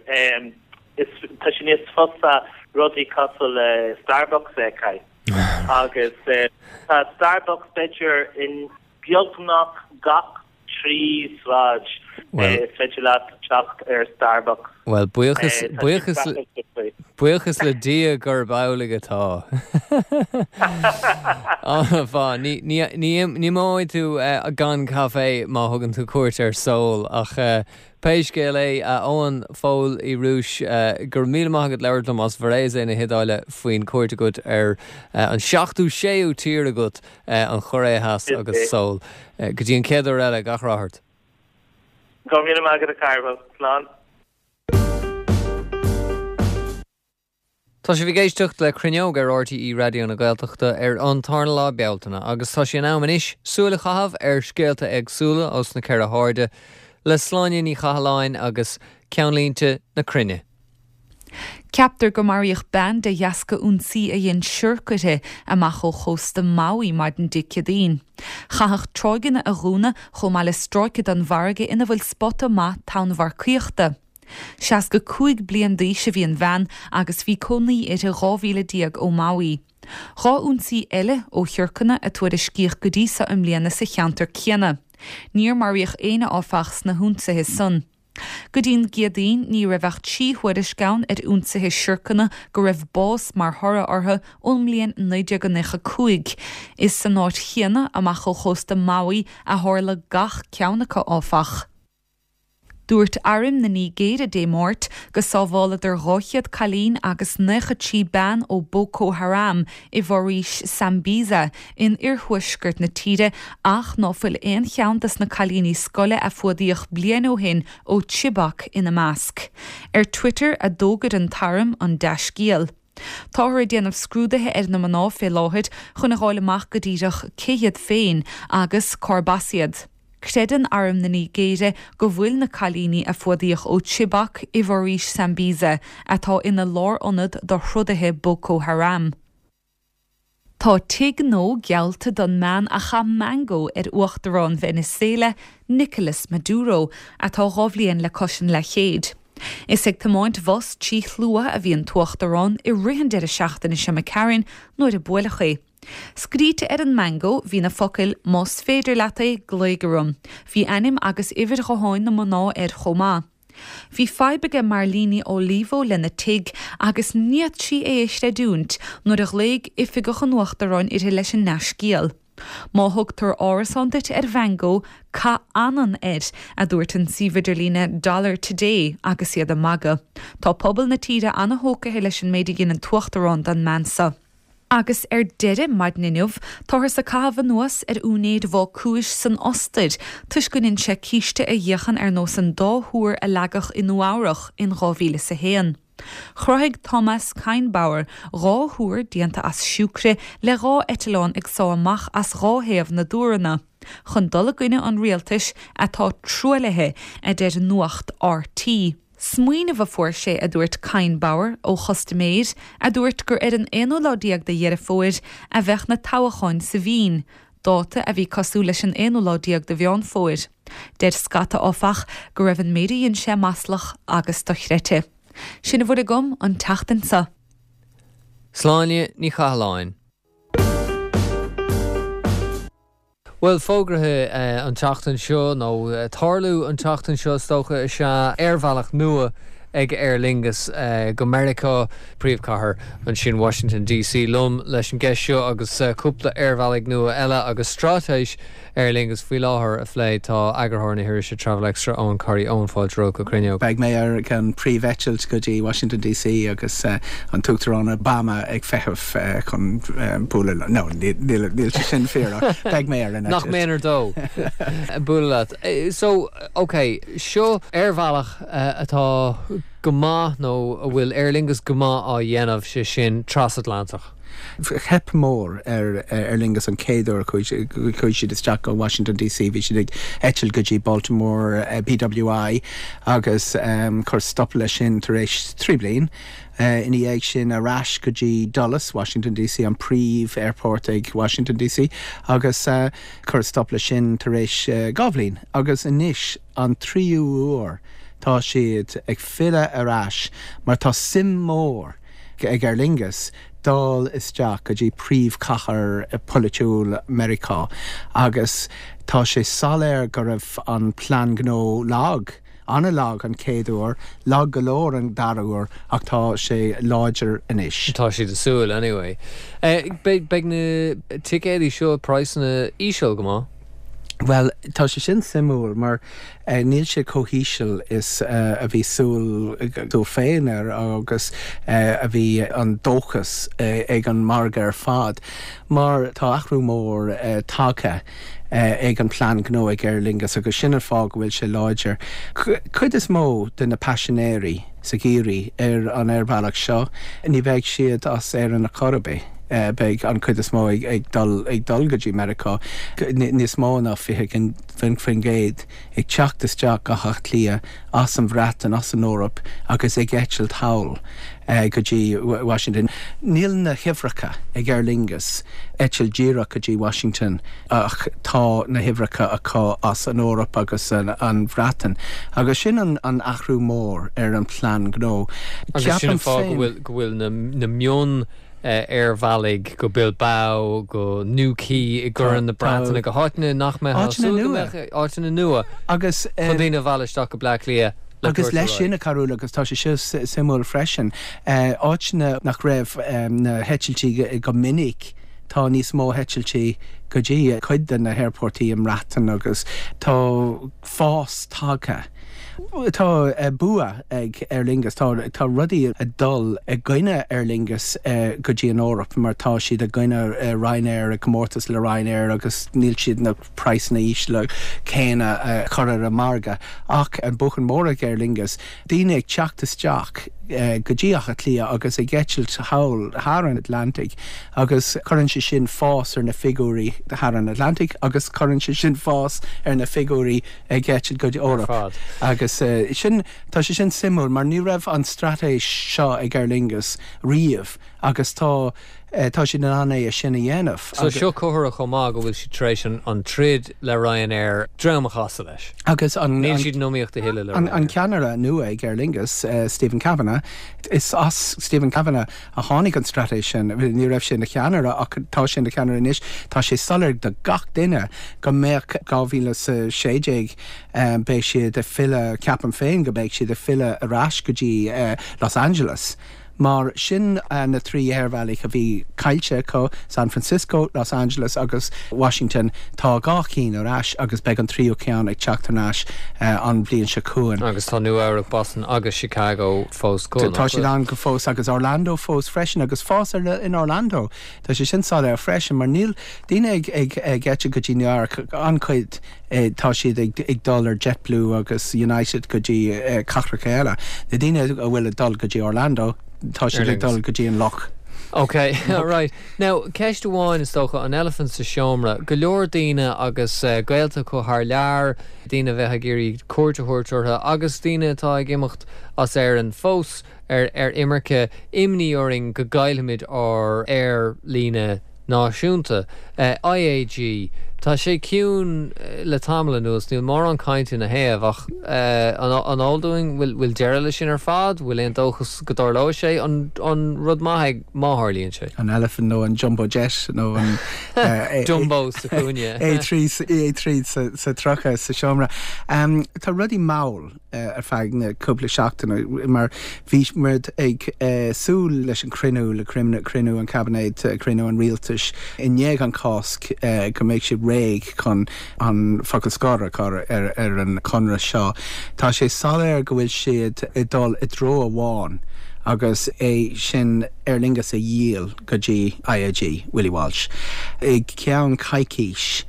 is tá sé níos fusa rudaí cosúil le Starbucks a fheiceáil agus tá Starbucks b'fhéidir in beagnach gach trí sráid is féidir leat teacht ar Starbucks. Bhuel, buíochas, buíochas, buíochas le Dia gurb amhlaidh atá. An-mhaith. Ní, ní, ní, ní imeoidh tú gan caife má thugann tú cuairt ar Seoul ach Pé scéal é, a Eoin Phóil Uí Rúis, go raibh míle maith agat labhairt liom as Varese na hIodáile faoin cuairt agat ar an seachtú séú tír agat, an Chóiré Theas agus Seoul. Go dtí an chéad uair eile, gach rath ort. Go raibh míle maith agat a Chearbhaill. Slán. Tá sibh ag éisteacht le Cruinneog ar RTÉ Raidió na Gaeltachta ar an tarna lá Bealtaine agus tá sé in am anois súil a chaitheamh ar scéalta éagsúla os na ceithre hairde le Sláine Ní Chathalláin agus Ceannlínte na Cruinne. Ceaptar gur maraíodh bean de dheasca ionsaí a dhein siorc uirthi amach ó chósta Maui maidin Dé Céadaoin. Chaithfeadh tráigheanna a dhúnadh chomh maith le stráice den bhfarraige ina bhfuil spota maith tonnmharcaíochta. Seasca cúig bliain d'aois a bhí an bhean agus bhí cónaí uirthi dhá mhíle déag ó Maui. Dhá ionsaí eile ó shiorcanna a tuairiscíodh go dtí seo i mbliana sa cheantar céanna. Níor maraíodh éinne áfach sna hionsaithe san. Go dtí'n gCéadaoin ní raibh ach trí thuairisc ann ar ionsaithe siorcanna go raibh bás mar thoradh orthu ón mbliain naoi déag nócha cúig. Is san áit chéanna, amach ó chósta Maui, a tharla gach ceann acu áfach. Dúirt Arm na Nigéire Dé Máirt go sábháladar dhá chéad cailín agus naocha trí bean ó Boko Haram i bhforaois Sambisa in iarthuaisceart na tíre ach ná fuil aon cheann des na cailíní scoile a fuadaíodh bliain ó shin ó Chibok ina measc. Ar Twitter a d'fhógair an t-arm an dea-scéal. Táthar ag déanamh scrúduithe ar na mná fé láthair chun a fháil amach go díreach cé hiad féin agus cárb as iad. Creideann Arm na Nigéire go bhfuil na cailíní a fuadaíodh ó Chibok i bhforaois Sambisa, atá ina lárionad do throdaithe Boko Haram. Tá tigh nua geallta don mbean a chaith mango ar Uachtarán Venezuela, Nicolas Maduro, atá dhá bhliain le cois an leathchéid. Is ag tiomáint bhus trí shlua a bhí an tUachtarán i rith an deireadh seachtaine seo imigh tharainn nuair a buaileadh é. Scríte ar an mango bhí na focail 'Más féidir leat é, glaoigh orm'. Bhí ainm agus uimhir ghutháin na mná air chomh maith. Bhí fadhb aige Marlene Olivo lena tigh agus ní fhéadfadh sí é a chreidiúint nuair a ghlaoigh oifigeach an Uachtaráin uirthi leis an ndea-scéal. Má thugtar árasán duit ar mhango, caith anann air, a dúirt an suíomh idirlíne Dollar Today agus iad ag magadh. Tá pobal na tíre ana-thógtha leis an méid a dhein an tUachtarán don mbean seo. Agus ar deireadh, maidin inniu, táthar ag caitheamh anuas ar úinéir bhácúis san Ostair toisc go ndein sé císte a dhíochan ar nós an dá thúr a leagadh i Nua Eabhrach in dhá mhíle is a haon. Chruthaigh Thomas Kainbauer dhá thúr déanta as siúcra le dhá eitleán ag sá amach as dhá thaobh na dtúranna, chun dul i gcoinne an rialtais atá truaillithe, a deir nuacht R T. Smaoineamh a fuair sé, a dúirt Kainbauer, ó chustaiméir a dúirt gur ar an aonú lá déag de Dheireadh Fómhair a bheadh na toghcháin sa Vín, dáta a bhí cosúil leis an aonú lá déag de Mheán Fómhair. Deir scata, áfach, go raibh an méid a dhein sé maslach agus dochreidte. Sin a bhfuil agam an tseachtain seo. Sláine Ní Chathalláin. Bhuel, fógraithe an tseachtain seo, nó tarlú an tseachtain seo is dócha, is ea aerbhealach nua ag Aer Lingus go Meiriceá, príomhchathair ansin Washington D C. Liom leis an gceist seo agus cúpla aerbhealaigh nua eile agus straitéis Aer Lingus faoi láthair a phlé tá eagarthóir na hirise Travel Extra, Eoghan Corry. Eoin, fáilte romhat go Cruinneog. Beidh mé ar an príomheitilt go dtí Washington D C agus an tUachtarán Obama ag feitheamh chun bualadh, no, níl sé sin fíor, beidh mé ar an Nach méanar dó bualadh leat. So, ok, seo aerbhealach atá go maith nó a bhfuil Aer Lingus go maith á dhéanamh, sé sin trasatlantach. Theip mór ar Aer Lingus an chéad uair chuaigh siad isteach go Washington D C. Bhí siad ag eitilt go dtí Baltimore uh, B W I agus um, chuir stop leis sin tar éis trí bliain. Uh, ina dhiaidh sin ar ais go dtí Dulles, Washington D C, an príomh airport ag Washington D C agus uh, chuir stop leis sin tar éis uh, dhá bhliain agus anois an tríú huair tá siad ag filleadh ar ais mar tá suim mór ag Aer Lingus dul isteach go dtí príomhchathair polaitiúil Meiriceá agus tá sé soiléir go raibh an plean gnó lag. An-lag an chéad uair, lag go leor an dara huair, ach tá sé láidir anois. Tá siad ag súil anyway. Eh, beidh na ticéidí seo praghsanna íseal go maith. Well, tá sé sin suimiúil mar eh, níl sé chomh híseal is uh, a bhí súil tú féin ar agus uh, a bhí an dóchas uh, ag an margadh ar fad. Mar tá athrú mór uh, tagtha uh, ag an plean gnó ag Aer Lingus agus sin an fáth go bhfuil sé láidir. Cuid is mó de na paisinéirí sa gheimhreadh ar an aerbhealach seo, ní bheidh siad as ar an chor ar bith. Uh, beidh an chuid is mó ag, ag dul ag dul go dtí Meiriceá níos mó ná fiche faoin gcéad ag teacht isteach go hÁth Cliath as an Bhreatain, as an Eoraip agus ag eitilt thall uh, go dtí Washington. Níl na huimhreacha ag Aer Lingus eitilt díreach go dtí Washington ach tá na huimhreacha acu as an Eoraip agus an, an Bhreatain. Agus sin an, an athrú mór ar an plean gnó. Agus sin fáth go bhfuil go bhfuil na, na mion aerbhealaigh go Bilbao, go Newquay i gCorn na Breataine, go háiteanna nach mbeadh nua áiteanna nua agus chun daoine a mhealladh isteach go Bleá Cliath. Agus leis sin a Charúil agus tá sé seo suimiúil freisin áiteanna nach raibh na heitiltí go minic tá níos mó heitiltí go dtí cuid de na haerfoirt i mBreatain agus tá fás tagtha. Tá bua ag Aer Lingus tá tá rudaí ag dul i gcoinne Aer Lingus go dtí an Eoraip mar tá siad i gcoinne Ryanair i comórtas le Ryanair agus níl siad na praghsanna ísle céanna chur ar an margadh ach an buachan mór ag Aer Lingus daoine ag teacht isteach go dtí Átha Cliath agus ag eitilt thall thar an Atlantic agus cuireann sé sin fás ar na figiúirí thar an Atlantic agus cuireann sé sin fás ar na figiúirí ag eitilt go dtí Eoraip. Agus uh, sin tá sé sin suimiúil mar ní raibh an straitéis seo ag Aer Lingus riamh agus tá uh, tá siad in ann é sin a dhéanamh. So seo comhartha chomh maith go bhfuil siad tar éis an, an troid le Ryanair droim a chasadh leis. Agus an Níl siad in iomaíocht a thuilleadh le an, an ceannaire nua ag Aer Lingus uh, Stephen Kavanagh is as Stephen Kavanagh a tháinig an straitéis sin ní raibh sé ina cheannaire ach tá sé ina cheannaire anois tá sé soiléir do gach duine go mbeadh dhá mhíle sé déag um, beidh siad ag filleadh ceapaim féin go mbeidh siad ag filleadh ar ais go dtí uh, Los Angeles. Mar sin uh, na trí aerbhealaigh a bhí caillte acu San Francisco, Los Angeles agus Washington tá dhá cheann ar ais agus beidh an tríú ceann ag teacht ar ais uh, an bhliain seo chugainn. Agus tá Nua-Eabhrac Boston agus Chicago fós go. Tá siad an go fós agus Orlando fós freisin agus fás ar in Orlando. Tá sé sin soiléir freisin mar níl daoine ag ag ag eitilt go dtí New York an-chuid eh, tá siad ag, ag dul ar JetBlue agus United go dtí eh, cathracha eile. Na daoine a bhfuil ag dul go dtí Orlando tá siad ag dul go dtí an loch. Ok, right. Now ceist amháin is dócha an eilifint sa seomra, go leor daoine agus uh, gaolta acu thar lear, daoine bheith ag iarraidh cuairt a thabhairt orthu agus daoine atá ag imeacht as Éirinn fós ar ar imirce imní orainn go gcaillfimid ár aerlíne náisiúnta. Uh, IAG Tá sé ciúin eh, le tamall anuas níl mórán cainte ina thaobh ach uh, an an eol dúinn bhfuil bhfuil deireadh leis sin ar fad, bhfuil aon dóchas go dtarlóidh sé an an rud maith má tharlaíonn sé. An elephant nó an jumbo jet nó an uh, Jumbo sa chúinne. A trí A trí sa sa tríocha sa seomra. Um, tá rudaí mall uh, ar feadh na cúpla seachtaine mar bhí muid ag uh, súil leis an cruinniú le cruinniú cruinniú an cabinet uh, cruinniú an rialtais i ndiaidh an Cásc uh, go mbeidh siad réidh chun an focal scoir a chur ar, ar an conradh seo. Tá sé soiléir go bhfuil siad ag dul i dtreo amháin agus é sin Aer Lingus a dhíol go dtí IAG Willie Walsh. I gceann coicís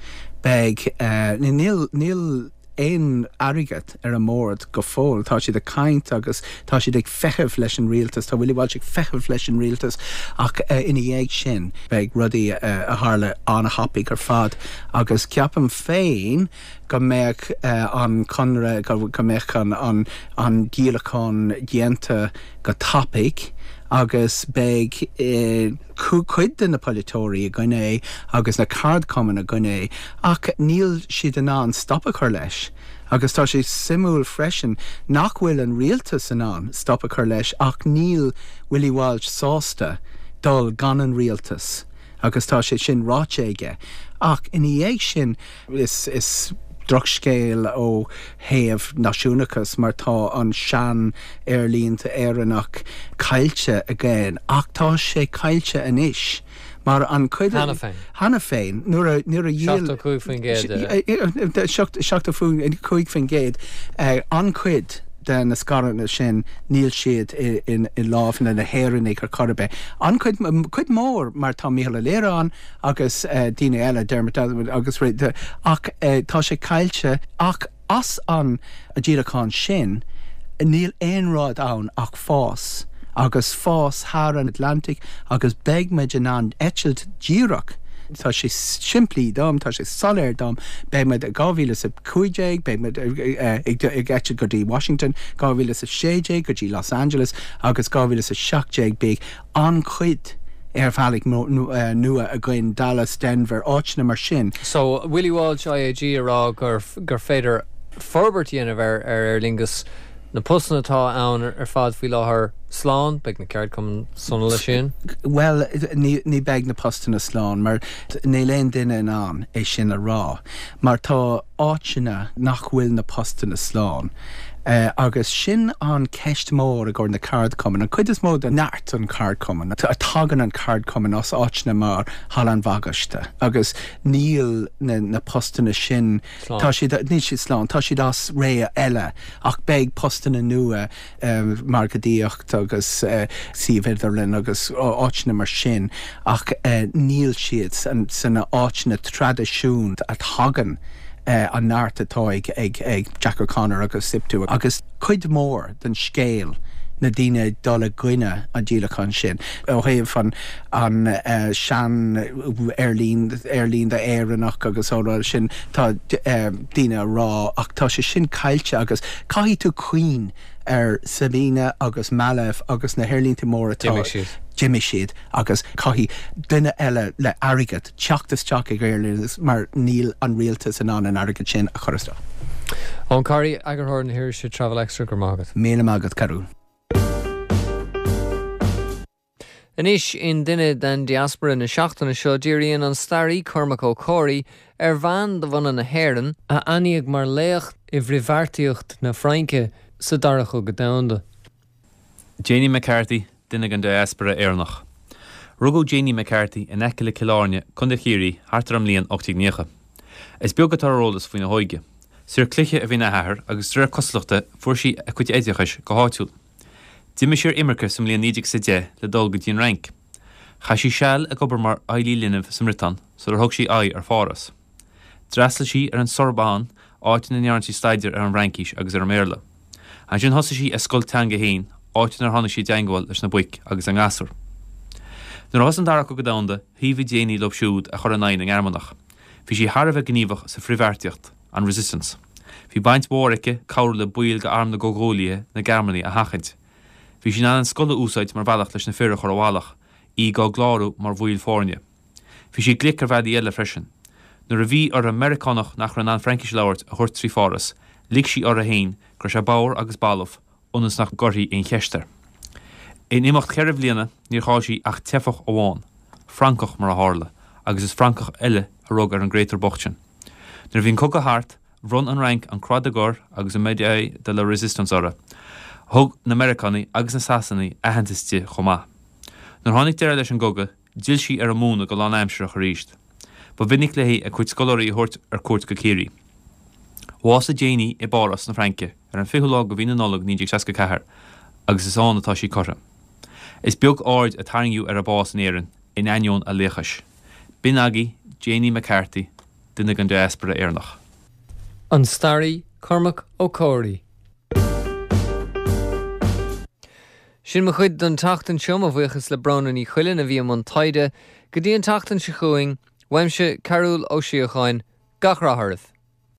beidh uh, níl níl aon airgead ar an mbord go fóill tá siad ag caint agus tá siad ag feitheamh leis an rialtas tá Willie Walsh ag feitheamh leis an rialtas ach uh, ina dhiaidh sin beidh rudaí uh, a tharla an-thapaidh ar fad agus ceapaim féin go mbeadh uh, an conradh go, go mbeadh an, an, an díolachán déanta go tapaidh agus beidh eh, cuid de na polaiteoirí i gcoinne é agus na ceardchumainn i gcoinne é ach níl siad in ann stop a chur leis. Agus tá sé suimiúil freisin nach bhfuil an rialtas in ann stop a chur leis ach níl Willie Walsh sásta dul gan an rialtas. agus tá sé sin ráite aige. Ach ina dhiaidh sin is, is drochscéal ó thaobh náisiúnachas mar tá an sean aerlínte Éireannach caillte again ach tá sé caillte anois. Mar an chuid Cheana féin. Cheana féin nuair nuair a Seachtó cúig faoin gcéad. seachtó cúig faoin gcéad an-chuid de na scaireanna sin níl siad i, in, i lámha na hÉireannaigh ar chor ar bith. An cuid, cuid mór mar tá Mícheál Ó Laoire ann agus uh, daoine eile Dermot agus ach uh, tá sé caillte ach as an a díolachán sin níl aon rud ann ach fás agus fás thar an Atlantic agus beidh muid in ann eitilt díreach. Tá sé simplí dom, tá sé soiléir dom, beidh muid dhá mhíle sa cúig déag, beidh muid ag eitilt go dtí Washington, dhá mhíle sa sé déag go dtí Los Angeles agus dhá mhíle sa seacht déag beidh an-chuid aerbhealaigh nua againn Dallas, Denver, áiteanna mar sin. So Willie Walsh IAG a rá gur gur féidir forbairt a dhéanamh ar ar Aer Lingus na postanna atá ann ar fad faoi láthair slán, beidh na ceardchumainn sona leis sin? Well, ní, ní beidh na postanna slán, mar níl aon duine in ann é sin a rá, mar tá áiteanna nach bhfuil na postanna slán. Uh, agus sin an ceist mór i gcomhair na ceardchumann. An cuid is mó de neart an ceardchumann, a tagann an ceardchumann as áiteanna mar Halla an Bhagaiste, agus níl na, na postanna sin tá siad níl siad slán, tá siad as ré eile ach beidh postanna nua um, margaíocht agus uh, suíomh idirlín agus áiteanna mar sin ach uh, níl siad san, san áiteanna traidisiúnta a thagann uh, an neart atá ag ag ag Jack O'Connor agus SIPTU agus cuid mór den scéal na daoine dul i gcoinne an díolachán sin. Ó thaobh an an uh, sean aerlíne aerlínte Éireannach agus ó sin tá uh, daoine rá ach tá sé sin caillte agus caithfidh tú cuimhneamh ar Sabena agus Malev agus na haerlínte móra D'imigh siad agus caithfidh duine eile le airgead teacht isteach ag aerlíne mar níl an rialtas in ann an airgead sin a chur isteach. Eoin Corry eagarthóir na hirise Travel Extra go raibh maith agat. Míle maith agat Cearúl. Anois in duine den diaspora na seachtaine seo díríonn an staraí Cormac Ó Comhraí ar bhean de bhunadh na hÉireann a ainmníodh mar laoch i bhfrithbheartaíocht na Fraince sa dara cogadh domhanda. Janie McCarthy, duine den diaspora Éireannach. Rugadh Janie McCarthy in aice le Cill Airne, Contae Chiarraí, thart ar an mbliain ocht déag nócha. Is beag atá ar eolas faoina hóige. Saor cloiche a bhí ina hathair agus de réir cosúlachta fuair sí a cuid oideachais go háitiúil. D'imigh sí ar imirce sa mbliain naoi déag is a deich le dul go dtí an Fhrainc. Chaith sí seal ag obair mar fheighlí linbh sa mBriotáin sular thug sí aghaidh ar Pháras. D'fhreastail sí ar an Sorbonne, áit ina ndearna sí staidéar ar an bhFraincis agus ar an mBéarla. Ansin thosaigh sí a scoil teanga féin, áit inar tháinig sí i dteangmháil leis na boic agus a ngasúir. Nuair a thosaigh an Dara Cogadh Domhanda, thaobhaigh Janie leo siúd a chuir in aghaidh na nGearmánach. Bhí sí thar a bheith gníomhach sa frithbheartaíocht, an Resistance. Bhí baint mhór aici cabhrú le baill d'arm na gComhghuaillithe na Gearmánaigh a sheachaint. Bhí sí in ann an scoil a úsáid mar bhealach leis na fir a chur i bhfalach, iad á gclárú mar bhaill foirne. Bhí sí glic ar bhealaí eile freisin. Nuair a bhí uirthi Meiriceánach nach raibh in ann Fraincis a labhairt a thabhairt trí Pháras, lig sí uirthi féin go raibh sé bodhar agus balbh ionas nach gcuirfí aon cheist air. In imeacht cheithre bliana níor chaill sí ach teifeach amháin, Francach mar a tharla, agus is Francach eile a rug ar an gcréatúr bocht sin. Nuair a bhí an cogadh thart, bhronn an Fhrainc an Croix de Guerre agus an Médaille de la Résistance uirthi. Thug na Meiriceánaigh agus na Sasanaigh aitheantas di chomh maith. Nuair a tháinig deireadh leis an gcogadh, d'fhill sí ar an múineadh go lánaimsearach arís. Ba mhinic léi a cuid scoláirí a thabhairt ar cuairt go Ciarraí. Bhásaigh Janie i bPáras na Fraince ar an fichiú lá de mhí na Nollag naoi déag seasca ceathair agus is ann atá sí curtha. Is beag aird a tarraingíodh ar a bás in Éirinn in ainneoin a laochais. B'in agaibh Janie McCarthy, duine den diaspora Éireannach. An staraí Cormac Ó Comhraí. Sin mo chuid don tseachtain seo mo bhuíochas le Bróna Ní Chuilinn a bhí i mbun taighde, go dtí an tseachtain seo chugainn, uaimse Cearúl Ó Síocháin, gach rath oraibh.